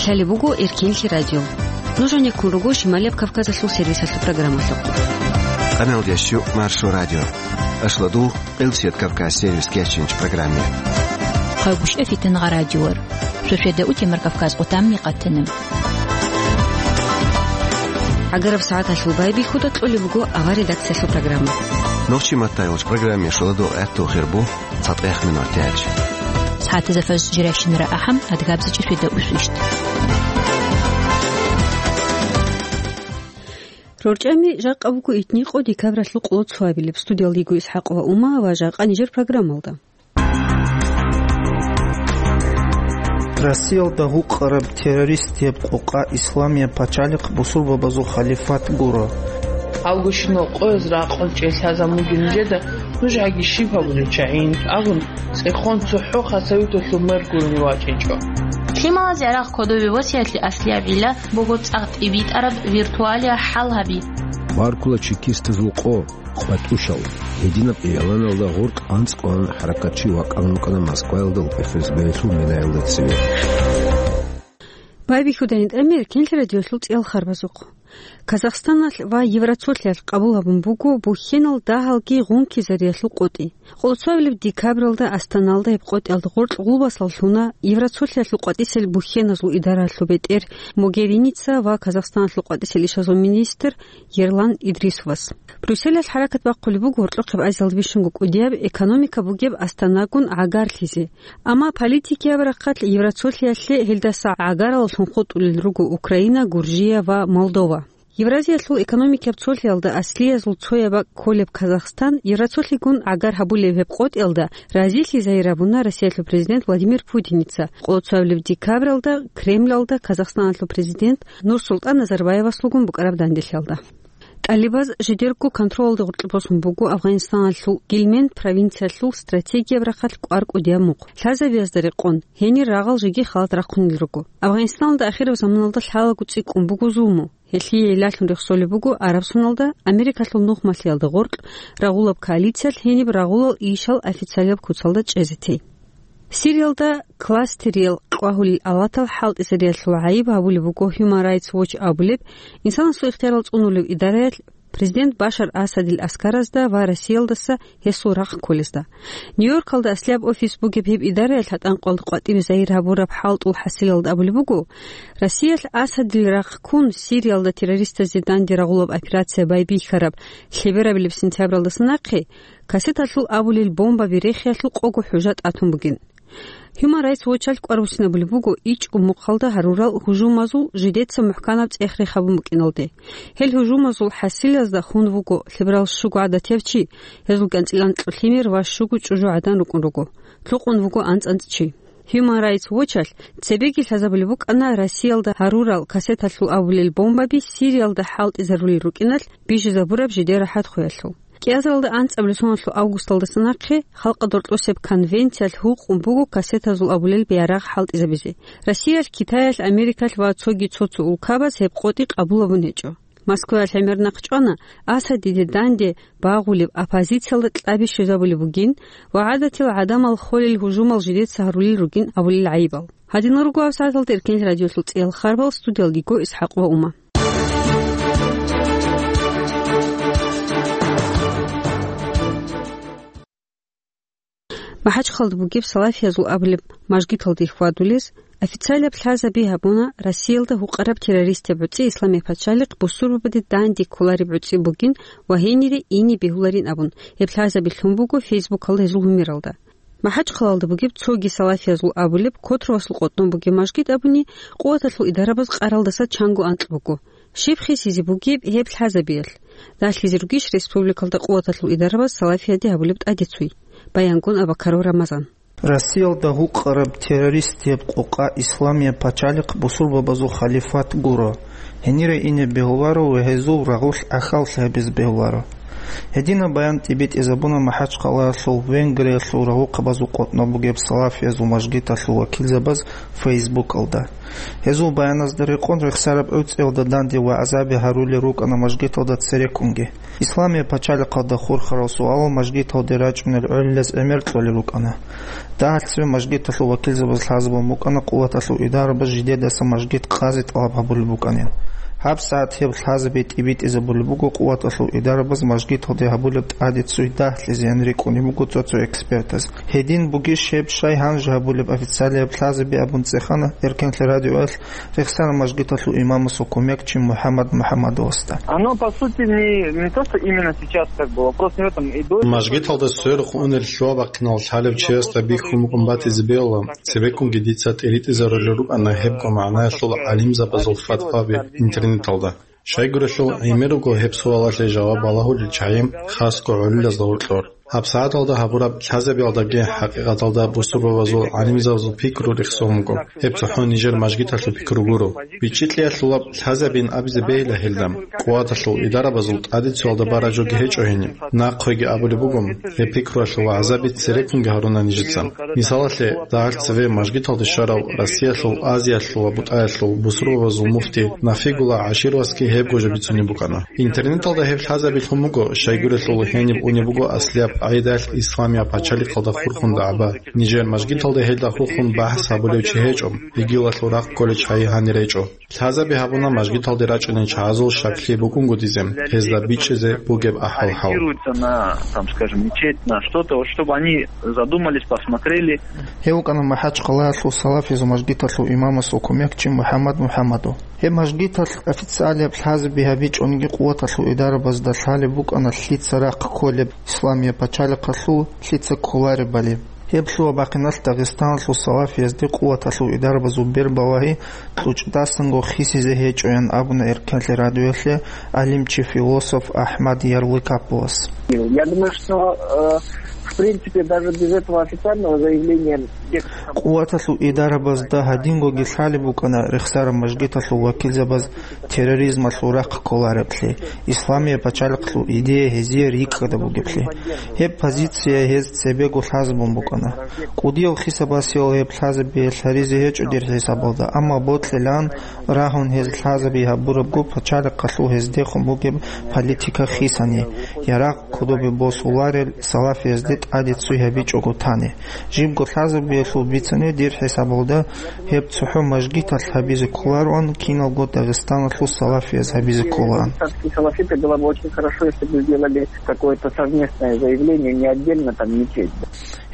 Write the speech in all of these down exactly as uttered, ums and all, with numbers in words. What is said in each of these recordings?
Лъалеб буго Эркенлъи радио. Нуж гьанеккун руго Шималияб Кавказалъул сервисалъул программалъухъ. Къаналдящу Маршо радио. Ашладул Къилсият Кавказ сервис кечинч программе. Хъагушев Фитангъа радиор. Шошеда утемар Кавказ къутамни къатана. ГӀагараб сагӀаталъул байбихьуда кьолеб буго авар редакциялъул программа. Нохчи маттайолч программе шоладо гӀатту хирбу. ЦатӀех минутач. СагӀатазда фажр жирайщинара ахӀам, адгабзичӀи шведа усвищт. РорчӀами жакъа буго итникъо декабралъул къоло цоабилеб. Студиялдиго Исхакъова Ума ва жакъа нижер программалда. Россиялда гьукъараб террористияб къокъа Исламияб пачалихъ бусурбабазул халифат гуро. Авгущинал къояз ракъун чӀей лъазабун бугин нижеда, нуж гьаги щиб гьабулел чагӀин абун, цӀехон цохӀо хасавиталъул мер гурони вачӀинчӀо. Лъималазе гӀарахъ кодове васиятли аслияб гӀилла буго цӀакъ тӀибитӀараб виртуалия хӀал гьаби. Баркула чекистазул къо, къватӀушал, гьединаб игӀланалда гъоркь анцӀ кьван хӀаракатчи вакъан вукӀана Москваялда ФСБ-ялъул минаялда цеве. Байбихьуда гьитӀамир Эркенлъи радиолъул цӀиял харбазухъ. Казахстаналъ ва Евроцолъиялъ къабул гьабун буго бухьенал дагьалги гъункизариялъул къотӀи. Къоло цоабилеб декабралда Астаналда гьеб къотӀиялда гъоркь гъулбасал лъуна Евроцолъиялъул къватӀисел бухьеназул идаралъул бетӀер Могериница ва Казахстаналъул къватӀисел ишазул министр Ерлан Идрисовас. Брюсселалъ хӀаракат бахъулеб буго гьоркьохъеб Азиялда бищунго кӀудияб экономика бугеб Астанагун гӀагарлъизе. Амма политикияб рахъалъ Евроцолъиялъе гьелдаса гӀагараллъун хутӀулел руго Украина, Гуржия ва Молдова. Евразиялъул экономикияб цолъиялда аслиязул цояб бакӀ кколеб Казахстан Евроцолъигун гӀагар гьабулеб гьеб къотӀиялда разилъи загьир гьабуна Россиялъул президент Владимир Путиница къоло цоабилеб декабралда Кремлалда Казахстаналъул президент Нурсултан Назарбаевасулгун букӀараб данделъиялда. ТӀалибаз жидерго контролалде гъоркье босун буго Афганистаналъул Гильменд провинциялъул стратегияб рахъалъ кӀвар кӀудияб мухъ. Лъазабиязда рекъон, гьенир рагъал жеги халат рахъунел руго. Афганистаналда ахираб заманалда лъалаго цӀикӀкӀун буго зулму. Гьелъие гӀиллалъун рехсолеб буго Арабсоналда Америкалъул нухмалъиялда гъоркь рагъулаб коалициялъ гьениб рагъулал ишал официалияб куцалда чӀезе тей. Сириялда кластериял къвагьулел авлатал хӀалтӀизариялъул гӀайиб гьабулеб буго Human Rights Watch абулеб, инсанасул ихтиярал цӀунулев идараялъ президент Башар Асадил аскаразда ва Россиялдаса гьесул рахъ кколезда. Нью-Йоркалда аслияб офис бугеб гьеб идараялъ гьатӀанкъалда къватӀибе загьир гьабураб хӀалтӀул хӀасилалда абулеб буго, Россиялъ Асадил рахъ ккун, Сириялда террористазде данде рагъулаб операция байбихьараб лъеберабилеб сентябралдаса нахъе кассеталъул абулел бомбаби рехиялъул къого хӀужа тӀатун бугин. Human Rights Watch-алъ кӀвар буссинабулеб буго ичӀго мухъалда гьарурал гьужумазул жидеца мухӀканаб цӀех-рех гьабун букӀиналде. Гьел гьужумазул хӀасилазда хун вуго лъеберал щуго гӀадатияв чи, гьезул кӀанцӀил анкьго лъимер ва щуго чӀужу гӀадан рукӀун руго. Лъукъун вуго анцӀ-анцӀ чи. Human Rights Watch-алъ цебеги лъазабулеб букӀана Россиялда гьарурал кассеталъул абулел бомбаби Сириялда хӀалтӀизарулел рукӀиналъ бижизабураб жидер рахӀат хвеялъул. КӀиазаралда анцӀабилеб соналъул августалдаса нахъе Халкъалда гьоркьосеб конвенциялъ гьукъун буго кассетазул абулел биарагъ хӀалтӀизабизе. Россиялъ, Китаялъ, Америкалъ ва цоги цо-цо улкабаз гьеб къотӀи къабул гьабун гьечӀо. Москваялъ гӀемер нахъ чӀвана Асадиде данде багъулеб оппозициялда кьаби щвезабулеб бугин ва гӀадатил гӀадамал холел гьужумал жидеца гьарулел ругин абулел гӀайибал. Гьадинал руго гьабсагӀаталда Эркенлъи радиолъул цӀиял харбал, студиялдиго Исхакъова Ума. МахӀачхъалда бугеб салафиязул абулеб мажгиталде хьвадулез официалаб лъазаби гьабуна Россиялда гьукъараб террористаб гӀуцӀи Исламияб пачалихъ бусурбабаде данде кколареб гӀуцӀи бугин ва гьенире ине бегьуларин абун, гьеб лъазаби лъун буго Фейсбукалда гьезул гьумералда. МахӀачхъалалда бугеб цоги салафиязул абулеб Котровасул къотӀнов бугеб мажгит абуни, къуваталъул идарабаз къаралдаса чанго анкь буго. Щиб хисизе бугеб гьеб лъазабиялъ? Далъизе ругищ республикалда къуваталъул идарабаз салафияде гьабулеб тӀадецуй? Баянгун Абакаров Рамазан. Россиялда гьукъараб террористияб къокъа Исламияб пачалихъ бусурбабазул халифат гуро. Гьенире ине бегьуларо ва гьезул рагъулъ ахьаллъи гьабизе бегьуларо. Гьединаб баян тӀибитӀизабуна МахӀачхъалаялъул Венгриялъул рагъухъабазул къотӀнаб бугеб салафиязул мажгиталъул вакилзабаз Фейсбукалда. Гьезул баяназда рекъон рехсараб гӀуцӀиялда данде вагӀзаби гьарулел рукӀана мажгиталда цереккунги. Исламияб пачалихъалда хурхарал суалал мажгиталде рачӀунел гӀолилаз гӀемер кьолел рукӀана. Дагьалъ цеве мажгиталъул вакилзабаз лъазабун букӀана къуваталъул идарабаз жидедаса мажгит къазе тӀалаб гьабулеб букӀанин. ГьабсагӀат гьеб лъазаби тӀибитӀизабулеб буго къуваталъул идарабаз мажгиталде гьабулеб тӀаде цуй дагьлъизеян рикӀкӀунеб буго цо-цо экспертаз. Гьедин бугищ гьеб щай гьанже гьабулеб официалияб лъазаби абун цӀехана Эркенлъи радиоялъ рехсараб мажгиталъул имамасул кумекчи МухӀаммад МухӀаммадовасда. Оно, по сути, не, не то, что именно сейчас, как бы, вопрос не в этом. И до этого... Мажгиталда сверухъ унел лъугьа-бахъинал лъалев чиясда бихьун букӀун батизе бегьула, цебеккунги дица тӀиритӀизарулел рукӀана гьебго магӀнаялъул гӀалимзабазул фатваби интернеталда. Щайгурелъул гӀемер руго гьеб суалалъе жаваб балагьулел чагӀи, хасго гӀолилазда гьоркьор. ГьабсагӀаталда гьабураб лъазабиялдаги хӀакъикъаталда бусурбабазул гӀалимзабазул пикру рехсон буго. Гьеб цохӀо нижер мажгиталъул пикру гуро. БичӀчӀи кьеялъулаб лъазабин абизе бегьила гьелда. Къуваталъул идарабазул тӀадецоялда бараб жоги гьечӀо гьениб. Нахъеги абулеб буго, гьеб пикруялъул вагӀзаби цереккунги гьаруна нижеца. Мисалалъе, дагьалъ цеве мажгиталде щварав Россиялъул, Азиялъул ва БутӀаялъул бусурбабазул муфти Нафигулла ГӀашировасги гьебго жо бицунеб букӀана. Интернеталда гьеб лъазабилъун буго, щайгурелъул гьениб унеб буго аслияб къагӀидалъ исламияб пачалихъалда хурхун дагӀба. Нижер мажгиталда гьелда хурхун бахӀс гьабулев чи гьечӀо, йигилалъул рахъ кколей чагӀи гьанир гьечӀо. Лъазаби гьабуна мажгиталде рачӀунел чагӀазул щаклъи букӀунгутӀизе, гьезда бичӀчӀизе бугеб ахӀвал-хӀал. Ориентируются на, там, скажем, мечеть, на что-то, вот, чтобы они задумались, посмотрели. Гьев вукӀана МахӀачхъалаялъул салафизул мажгиталъул имамасул кумекчи МухӀаммад МухӀаммадов. Гьеб мажгиталъ официалияб лъазаби гьабичӀониги къуваталъул идарабазда лъалеб букӀана лъица рахъ кколеб, исламияб пачалихъалъул лъица кколаребали. Гьеб лъугьа-бахъиналъ Дагъистаналъул салафиязде къуваталъул идарабазул бербалагьи кьучӀдасанго хисизе гьечӀоян абуна Эркенлъи радиоялъе гӀалимчи-философ АхӀмад Ярлыкаповас. Я думаю, что, э, в принципе, даже без этого официального заявления... Къуваталъул идарабазда гьадингоги лъалеб букӀана рехсараб мажгиталъул вакилзабаз терроризмалъул рахъ кколареблъи, исламияб пачалихъалъул идея гьезие рикӀкӀада бугеблъи. Гьеб позиция гьез цебего лъазабун букӀана. КӀудиял хисабасиял гьеб лъазабиялъ гьаризе гьечӀо дир хӀисабалда, амма бокьилан рагьун гьез лъазаби гьабурабго пачалихъалъул гьездехун бугеб политика хисани, ярагъ кодобе босуларел салафиязде тӀаде цуй гьабичӀого тани. Жибго лъазабиялъул бицани дир хӀисабалда гьеб цохӀо мажгиталъ гьабизе кколароан, киналго Дагъистаналъул салафияз гьабизе кколаан. Исламские салафиты было бы очень хорошо, если бы сделали какое-то совместное заявление, не отдельно там мечеть.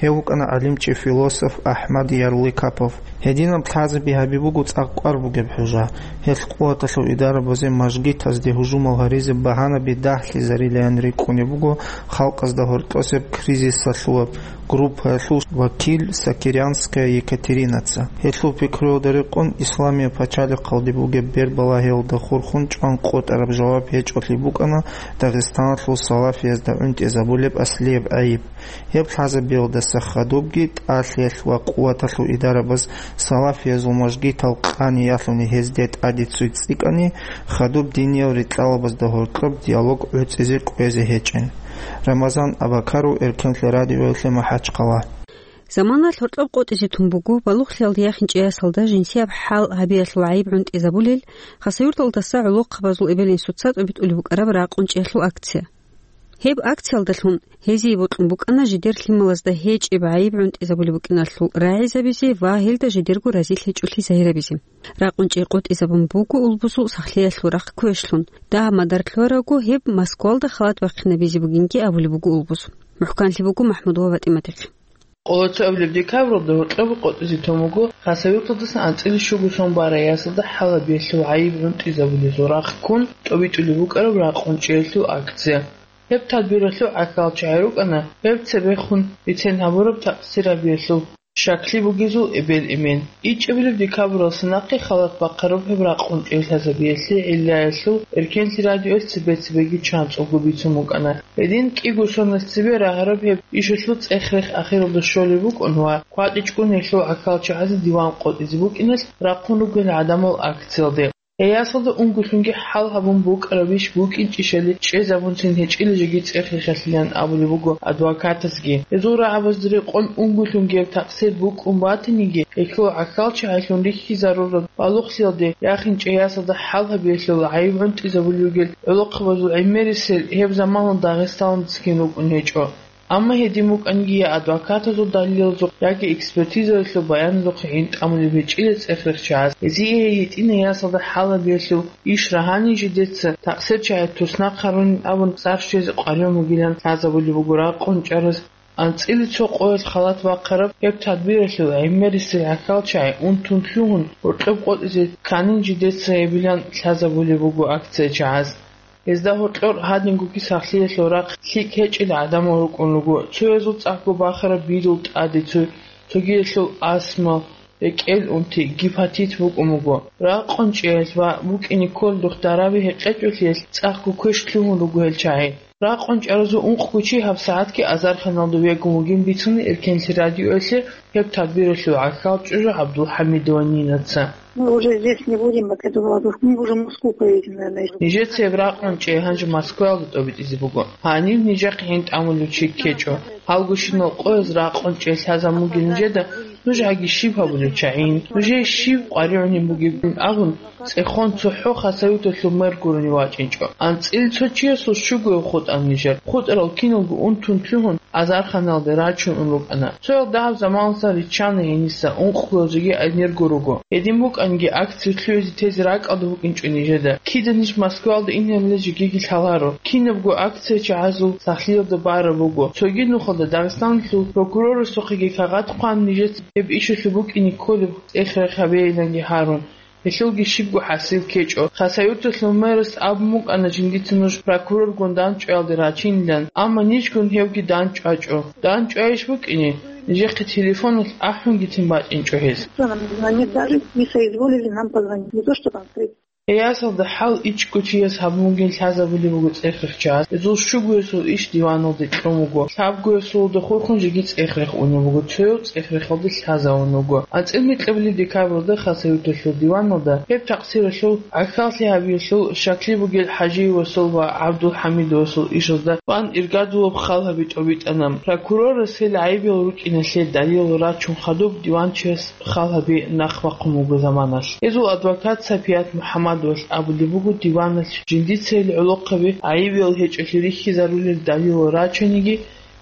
Гьев вукӀана гӀалимчи-философ АхӀмад Ярлыкапов. Гьединаб лъазаби гьаби буго цӀакъ кӀвар бугеб хӀужа. Гьелъ къуваталъул идарабазе мажгитазде гьужумал гьаризе багьанаби дагьлъизарилаян рикӀкӀунеб буго халкъазда гьоркьосеб кризисалъулаб группаялъул вакил Сакирянская Екатеринаца. Гьелъул пикруялда рекъон, исламияб пачалихъалде бугеб бербалагьиялда хурхун чӀван къотӀараб жаваб гьечӀолъи букӀана Дагъистаналъул салафиязда гӀунтӀизабулеб аслияб гӀайиб. Гьеб лъазабиялдаса хадубги тӀалъиялъ ва къуваталъул идарабаз салафиязул мажгитал къани ялъуни гьезде тӀаде цуй цӀикӀкӀани, хадуб диниял рикьалабазда гьоркьоб диалог гӀуцӀизе кӀвезе гьечӀин. Рамазан Абакаров, Эркенлъи радиоялъе, МахӀачхъала. Заманалъ гьоркьоб къотӀизе тун буго балугълъиялда яхинчӀей ясалда жинсияб хӀал гьабиялъул гӀайиб гӀунтӀизабулел, Хасавюрталдаса гӀолохъабазул эбел-инсуца тӀобитӀулеб букӀараб ракъун чӀиялъул акция. Гьеб акциялдалъун гьезие бокьун букӀана жидер лъималазда гьечӀеб гӀайиб гӀунтӀизабулеб букӀиналъул рагӀизабизе ва гьелда жидерго разилъичӀолъи загьирабизе. Ракъун чӀей къотӀизабун буго улбузул сахлъиялъул рахъ квешлъун. Дагьаб мадар лъугьарабго гьеб Москвалда халат бахъинабизе бугинги абулеб буго улбуз. МухӀканлъи буго МахӀмудова ПатӀиматихъ. Къоло цоабилеб декабралда гьоркьоб къотӀизе тун буго Хасавюрталдасан анцӀила щуго сон барай ясалда хӀал гьабиялъул гӀайиб гӀунтӀизабулезул рахъ ккун тӀобитӀулеб букӀараб ракъун чӀиялъул акция. Гьеб тадбиралъул гӀахьалчагӀи рукӀана гьеб цебехун бицен гьабураб такъсир гьабиялъул щаклъи бугезул эбел-эмен. ИчӀабилеб декабралдаса нахъе халат бахъараб гьеб ракъун чӀей лъазабиялъе гӀиллаялъул Эркенлъи радиоялъ цебе-цебеги чанцӀулго бицун букӀана. Гьедин кӀиго соналъ цебе рагьараб гьеб ишалъул цӀех-рех ахиралда щолеб букӀун ва кватӀичӀгун гьелъул гӀахьалчагӀазе диван къотӀизе букӀиналъ рахъун ругел гӀадамал акциялде. Гьей ясалда унгулъунги хӀал гьабун букӀарабищ букӀинчӀищали чӀезабунцин гьечӀила жеги цӀех-рехалъилан абулеб буго адвокатасги. Гьезул рагӀабазда рекъон унгулъунги гьеб такъсир букӀун батаниги, гьелъул гӀахьалчагӀилъун рихьизарураб балугълъиялде яхинчӀей ясалда хӀал гьабиялъул гӀайиб гӀунтӀизабулел ругел гӀолохъабазул гӀемерисел гьеб заманалда Дагъистаналдасаги рукӀун гьечӀо. Амма гьедин букӀанги, я адвокатазул далилалзухъ, яги экспертизаялъул баяназухъе гӀин тӀамулеб гьечӀила цӀех-рехчагӀаз, гьезие гьей гьитӀинай ясалда хӀал гьабиялъул иш рагьанин жидеца такъсирчагӀи туснахъ гьарунин абун сарщезе къваригӀун бугилан лъазабулеб буго ракъун чӀараз. АнцӀила цо къоялъ халат бахъараб гьеб тадбиралъул гӀемерисел гӀахьалчагӀи унтун лъугьун, гьоркьоб къотӀизе кканин жидеца гьебилан лъазабулеб буго акция чагӀаз. Гьезда гьоркьор гьадингоги сахлъиялъул рахъ лъикӀ гьечӀел гӀадамал рукӀун руго, цоязул цӀакъго бахараб бирул тӀаде цо, цогиялъул астма, рекӀел унти, гепатит букӀун буго. Ракъун чӀеялъ ва букӀине кколдухъ дараби гьекъечӀолъиялъ цӀакъго квеш лъугьун руго гьел чагӀи. Ракъун чӀаразул ункъго чи гьабсагӀатги азарханалда вегун вугин бицуна Эркенлъи радиоялъе гьеб тадбиралъул гӀахьал чӀужу ГӀабдулхӀамидова Нинаца. Мы уже здесь не будем, как это было, мы уже в Москву поедем, наверное. Нижеца гьеб ракъун чӀей гьанже Москваялда тӀобитӀизе буго. Гьанив нижехъе гӀин тӀамулев чи ккечӀо. Гьалгощинал къояз ракъун чӀей лъазабун бугел нижеда нуж гьаги щиб гьабулев чагӀин, нужее щиб къваригӀунеб бугебин абун, цӀехон цохӀо Хасавюрталъул мэр гурони вачӀинчӀо. АнцӀила цо чиясул щугояв хутӀана нижер. ХутӀарал киналго унтун лъугьун, азарханалде рачун ун рукӀана. Цоял дагьаб заманалдасан риччана гьениса, ункъго жеги гӀемерго руго. Гьедин букӀанги, акция лъугӀизе тезе ракӀалда букӀинчӀо нижеда. Кида ниж Москваялда инарила жегиги лъаларо. Кинабго акция чагӀазул сахлъиялда бараб буго. Цоги нухалда Дагъистаналъул прокурорасухъеги кагъат хъван, нижеца гьеб ишалъул букӀине кколеб цӀех-рех гьабейиланги гьарун. Гьелъулги щибго хӀасил ккечӀо. Хасавюрталъул мэрас абун букӀана жиндица нуж прокуроргун дандчӀваялде рачинилан, амма нижгун гьевги дандчӀвачӀо. ДандчӀвайищ букӀине? Нижехъе телефоналъ ахӀунгицин бачӀинчӀо гьез. Нам не звонит, даже не соизволили нам позвонить. Не то, что там встретиться. Гьей ясалда хӀал ичӀго чияс гьабун бугин лъазабулеб буго цӀех-рехчагӀаз. Гьезул щугоясул иш диваналде кьун буго. Лъабгоясулда хурхун жеги цӀех-рех унеб буго, цояв цӀех-рехалде лъазавун вуго. АнцӀила микьабилеб декабралда Хасавюрталъул диваналда гьеб такъсиралъул гӀахьаллъи гьабиялъул щаклъи бугел ХӀажиевасул ва ГӀабдулхӀамидовасул ишазда тӀван иргадулаб хал гьаби тӀобитӀана. Прокурорас гьел гӀайибиял рукӀиналъе далилал рачун хадуб диванчияс хал гьаби нахъ бахъун буго заманалъ. Гьезул адвокат Сапият МухӀаммадовалъ абулеб буго диваналъ жиндица гьел гӀолохъаби гӀайибиял гьечӀолъи рихьизарулел далилал рачаниги,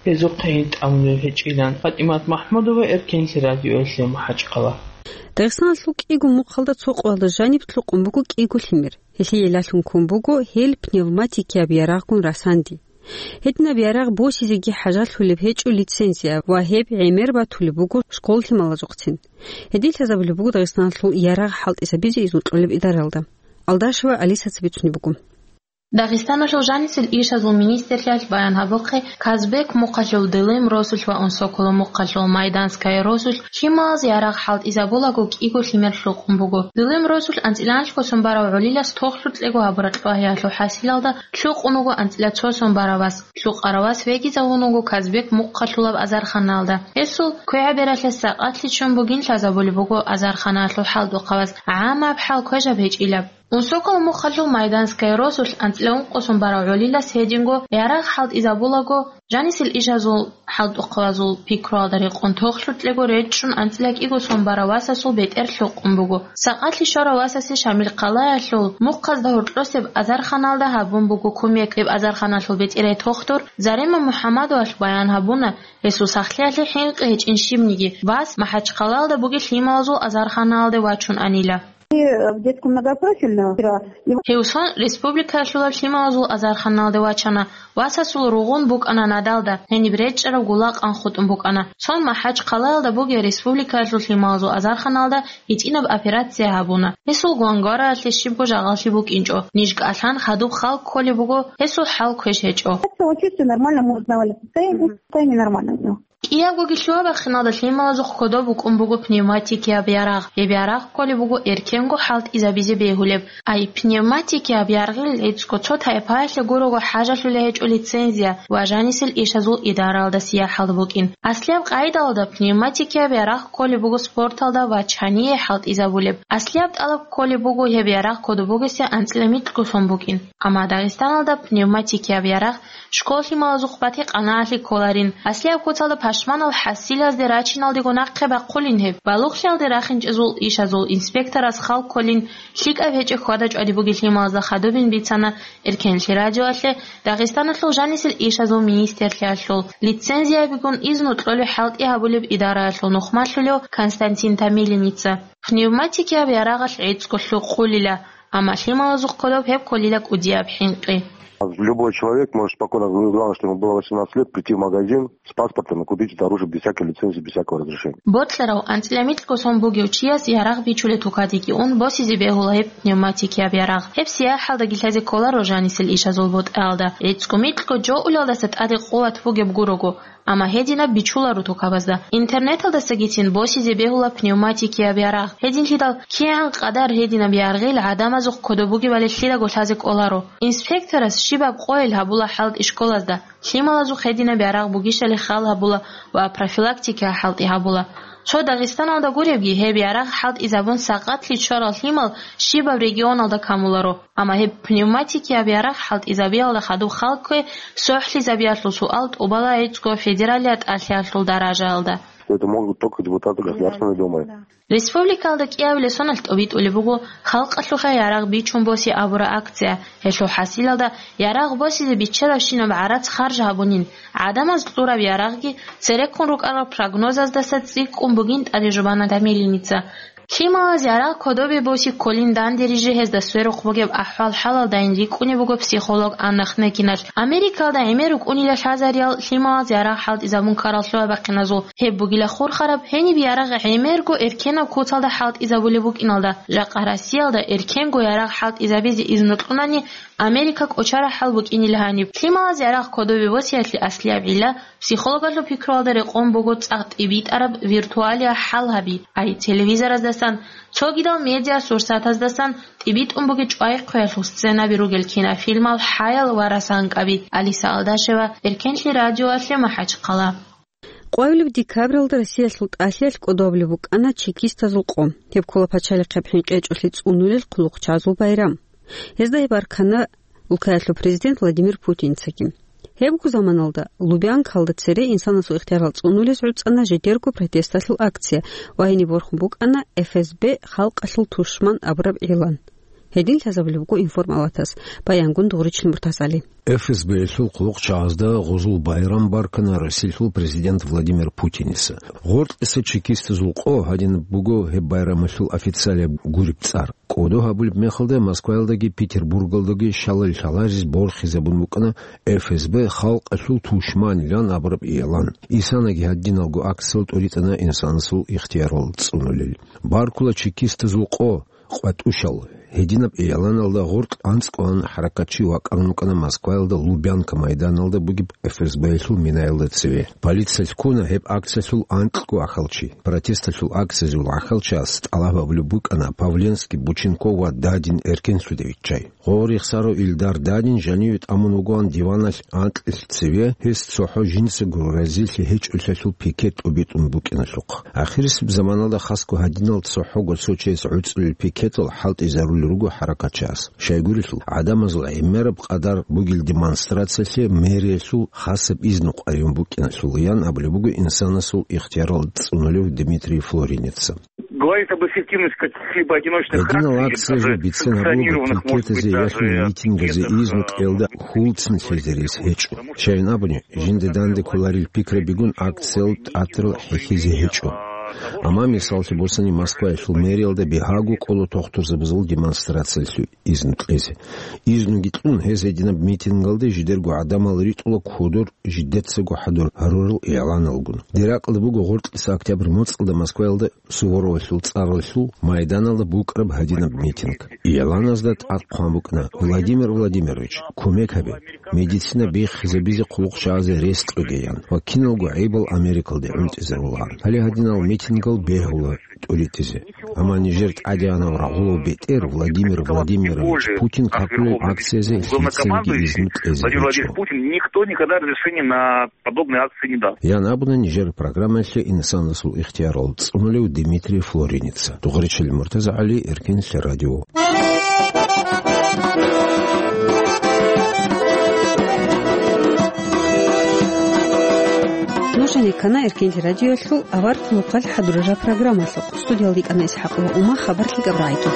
гьезухъе гӀин тӀамулел гьечӀилан. ФатӀимат МахӀмудова, Эркенлъи радиоялъе, МахӀачхъала. Дагъистаналъул кӀиго мухъалда цо къоялда жаниб лъукъун буго кӀиго лъимер. Гьелъие лъалъун ккун буго гьел пневматикияб ярагъгун расанди. Гьединаб ярагъ босизеги хӀажатлъулеб гьечӀо лицензия ва гьеб гӀемер батулеб буго школ лъималазухъцин. Гьедин лъазабулеб буго Дагъистаналъул ярагъ хӀалтӀизабизе изну кьолеб идаралда. Алдашева Алисаца бицунеб буго. Дагъистаналъул жанисел ишазул министрлъиялъ баян гьабухъе, Казбек мухъалъул Дылим росулъ ва Унсокола мухъалъул Майданская росулъ лъималаз ярагъ хӀалтӀизабулаго кӀиго лъимер лъукъун буго. Дылим росулъ анцӀила анлъго сон барав гӀолилас тохлъукьего гьабураб кьвагьиялъул хӀасилалда лъукъун вуго анцӀила цо сон барав вас. Лъукъарав вас вегизавун вуго Казбек мухъалъулаб азарханалда. Гьесул квегӀабералъе сакъатлъи ччун бугин лъазабулеб буго азарханалъул хӀалтӀухъаваз, гӀаммаб хӀал квешаб гьечӀилаб. Унсокола мухъалъул Майданская росулъ анцӀила ункъо сон барав гӀолилас гьединго ярагъ хӀалтӀизабулаго, жанисел ишазул хӀалтӀухъавазул пикруялда рекъон тохлъукьего речӀчӀун анцӀила кӀиго сон барав васасул бетӀер лъукъун буго. Сакъатлъи щварав васасе Шамилхъалаялъул мухъазда гьоркьосеб азарханалда гьабун буго кумек. Гьеб азарханалъул бетӀерай тохтур Зарема МухӀаммадовалъ баян гьабуна, гьесул сахлъиялъе хӀинкъи гьечӀин щибниги, вас МахӀачхъалаялда бугеб лъималазул азарханалде вачун анила. И в детском многопрофильном вчера. Гьев сон республикаялъулаб лъималазул азарханалде вачана, васасул ругъун букӀана надалда, гьениб речӀчӀараб гула къан хутӀун букӀана. Сон МахӀачхъалаялда бугеб республикаялъул лъималазул азарханалда гьитӀинаб операция гьабуна. Гьесул гвангвараялъе щибго жагъаллъи букӀинчӀо. Ниж кӀалъан хадуб хал кколеб буго, гьесул хӀал квеш гьечӀо. Так он чувствует нормально, мы узнавали состояние, состояние нормальное у него. КӀиябгоги лъугьа-бахъиналда лъималазухъ кодоб букӀун буго пневматикияб ярагъ. Гьеб ярагъ кколеб буго эркенго хӀалтӀизабизе бегьулеб. Ай, пневматикияб яргъил гӀицӀго цо тайпаялъе гурого хӀажалъулей гьечӀо лицензия ва жанисел ишазул идараялда сияхӀалда букӀин. Аслияб къайдалда пневматикияб ярагъ кколеб буго спорталда ва чание хӀалтӀизабулеб. Аслияб тӀалаб кколеб буго гьеб ярагъ кодоб бугесда анцӀила микьго лъун букӀин. Амма Дагъистаналда пневматикияб ярагъ школ лъималазухъ бати-къанаалъе кколарин. Аслияб куцалда пашманал хӀасилазде рачиналдего нахъе бахъулин гьеб. Балугълъиялде рахинчӀезул ишазул инспекторас хал кколин, лъикӀаб гьечӀеб хьвада-чӀвади бугеб лъималазда хадубин бицана Эркенлъи радиоялъе Дагъистаналъул жанисел ишазул министрлъиялъул лицензиябигун изну кьолеб хӀалтӀи гьабулеб идараялъул нухмалъулев Константин Томилиница. Пневматикияб ярагъалъ гӀицӀго лъукъулила, амма лъималазухъ кодоб гьеб кколила кӀудияб хӀинкъи. Любой человек может спокойно, главное, чтобы ему было восемнадцать лет, прийти в магазин с паспортом и купить это оружие без всякой лицензии, без всякого разрешения. Бокьарав анцӀила микьго лъун бугев чияс ярагъ бичулеб тукадеги ун босизе бегьула гьеб пневматикияб ярагъ. Гьеб сияхӀалдаги лъазе кколаро жанисел ишазул бутӀаялда. ГӀицӀго микьго жо улелдаса тӀаде къуват бугеб гурого, амма гьединаб бичуларо тукабазда. Интернеталдасагицин босизе бегьула пневматикияб ярагъ. Гьединлъидал кигӀан къадар гьединаб яргъил гӀадамазухъ кодоб бугебали лъидаго лъазе кӀоларо. Инспекторас щибаб къойил гьабула хӀалтӀи школазда, лъималазухъ гьединаб ярагъ бугищали хал гьабула ва профилактика хӀалтӀи гьабула. Цо Дагъистаналда гуребги, гьеб ярагъ хӀалтӀизабун сагъатлъи чӀварал лъимал щибаб регионалда камуларо. Амма гьеб пневматикияб ярагъ хӀалтӀизабиялда хадуб хал ккве сохӀлъизабиялъул суал тӀубала гӀицӀго федералияб тӀалъиялъул даражаялда. Это могут только депутаты Государственной Думы. Да. Республикалда кӀиабилеб соналъ тӀобитӀулеб буго халкъалъухъе ярагъ бичун босе абураб акция. Гьелъул хӀасилалда ярагъ босизе биччалабщинаб гӀарац харж гьабунин, гӀадамаз кьураб ярагъги цереккун рукӀарал прогнозаздаса цӀикӀкӀун бугин тӀаде жубана Томилиница. Лъималаз ярагъ кодобе боси кколин данде рижи гьезда сверухъ бугеб ахӀвал-хӀалалдайин рикӀкӀунеб буго психолог Анна Хнекиналъ. Америкалда гӀемер рукӀунила лъазариял лъималаз ярагъ хӀалтӀизабун ккарал лъугьа-бахъиназул. Гьеб бугила хурхараб, гьениб ярагъ гӀемерго эркенаб куцалда хӀалтӀизабулеб букӀиналда. Жакъа Россиялда эркенго ярагъ хӀалтӀизабизе изну кьунани, Америка кӀочарахӀал букӀинила гьаниб. Лъималаз ярагъ кодобе босиялъе аслияб гӀилла психологалъул пикруялда рекъон буго цӀакъ тӀибитӀараб виртуалияб хӀал гьаби, ай телевизораздасан, цогидал медиасурсатаздасан тӀибитӀун бугеб чӀвай-хъвеялъул сценаби ругел кинофильмал хӀаял ва расанкъаби. Алиса Алдашева, Эркенлъи радиоялъе, МахӀачхъала. Къоабилеб декабралда Россиялъул тӀалъиялъ кӀодобулеб букӀана чекистазул къо. Гьеб ккола пачалихъеб хӀинкъи гьечӀолъи цӀунулел хъулухъчагӀазул байрам. Гьезда гьеб аркана улкаялъул президент Владимир Путинцаги. Гьебго заманалда Лубянкалда цере инсанасул ихтиярал цӀунулез гӀуцӀана жидерго протесталъул акция ва гьениб борхун букӀана Ф С Б халкъалъул тушман абураб игълан. Гьедин лъазабулеб буго информалатас, баянгун Дугъричил Муртазали. Ф С Б-ялъул хъулухъчагӀазда гъузул байрам баркана Россиялъул президент Владимир Путиница. Гъоркьиса чекистазул къо гьадинаб буго гьеб байрамалъул официалияб гуреб цӀар. КӀодо гьабулеб мехалда Москваялдаги Петербургалдаги щалал лъаларез борхизабун букӀана Ф С Б халкъалъул тушманилан абураб игълан. Исанаги гьадиналго акциялъ тӀуритӀана инсанасул ихтиярал цӀунулел. Баркула чекистазул къо, къватӀушал. Гьединаб игъланалда гъоркь анцӀкӀван хӀаракатчи вакӀарун вукӀана Москваялда Лубянка майданалда бугеб Ф С Б-ялъул минаялда цеве. Полициялъ ккуна гьеб акциялъул анкьго ахӀалчи. Протесталъул акциялъул ахӀалчияс тӀалаб гьабулеб букӀана Павленский, Боченков ва Дадин эркенлъуде виччай. Гъо рехсарав Илдар Дадин жаниве тӀамун вугоан диваналъ анкьилъ цеве, гьес цохӀо жинцаго разилъи гьечӀолъиялъул пикет тӀубитӀун букӀиналъухъ. Ахирисеб заманалда хасго гьадинал цохӀого цо чияс гӀуцӀулел пикетал хӀалтӀизарулел руго хӀаракатчияс. Щайгурелъул, гӀадамазул гӀемераб къадар бугел демонстрациялъе мэриялъул хасаб изну къваригӀун букӀиналъул, ян абулеб буго инсанасул ихтиярал цӀунулев Дмитрий Флоринеца. Говорит об эффективности каких-либо одиночных акций или даже санкционированных, может быть, даже митингазе изну кьелда хьулцин лъезе рес гьечӀо. Щайин абуни, жинда данде кколарел пикрабигун акциял тӀатарал хӀехьезе гьечӀо. Амма, мисаллъи босани, Москваялъул мэриялда бигьаго кӀола тухтурзабазул демонстрациялъе изну кьезе. Изнуги кьун, гьез гьединаб митингалде жидерго гӀадамал ритӀула кодор жидецаго хӀадур гьарурал игӀланалгун. Дир ракьалда буго гъоркьиса октябрь моцӀалда Москваялда Суворовалъул цӀаралъул майданалда букӀараб гьадинаб митинг. ИгӀланазда тӀад хъван букӀана: «Владимир Владимирович, кумек гьабе, медицина биххизабизе хъулухъчагӀазе рес кьоге», – ян ва киналго гӀайибал Америкалде гӀунтӀизарулаан. Гьале гьадинал митингал бегьула тӀуритӀизе. Амма нижер тӀадегӀанав рагъулав бетӀер Владимир Владимирович Путин какулел акциязе лъицаниги изну кьезе гьечӀо. Путин никто никогда разрешения на подобные акции не даст. Ян абуна нижер программаялъе инсанасул ихтиярал цӀунулев Дмитрий Флоринеца. Дугъричил Муртаза ГӀали, Эркенлъи радио. Нуж гьанир ккана Эркенлъи радиоялъул авар хъулухъалъ хӀадурараб программалъухъ. Студиялда йикӀана ИсхӀакъ ва Ума, хабар лъикӀаб рагӀиги.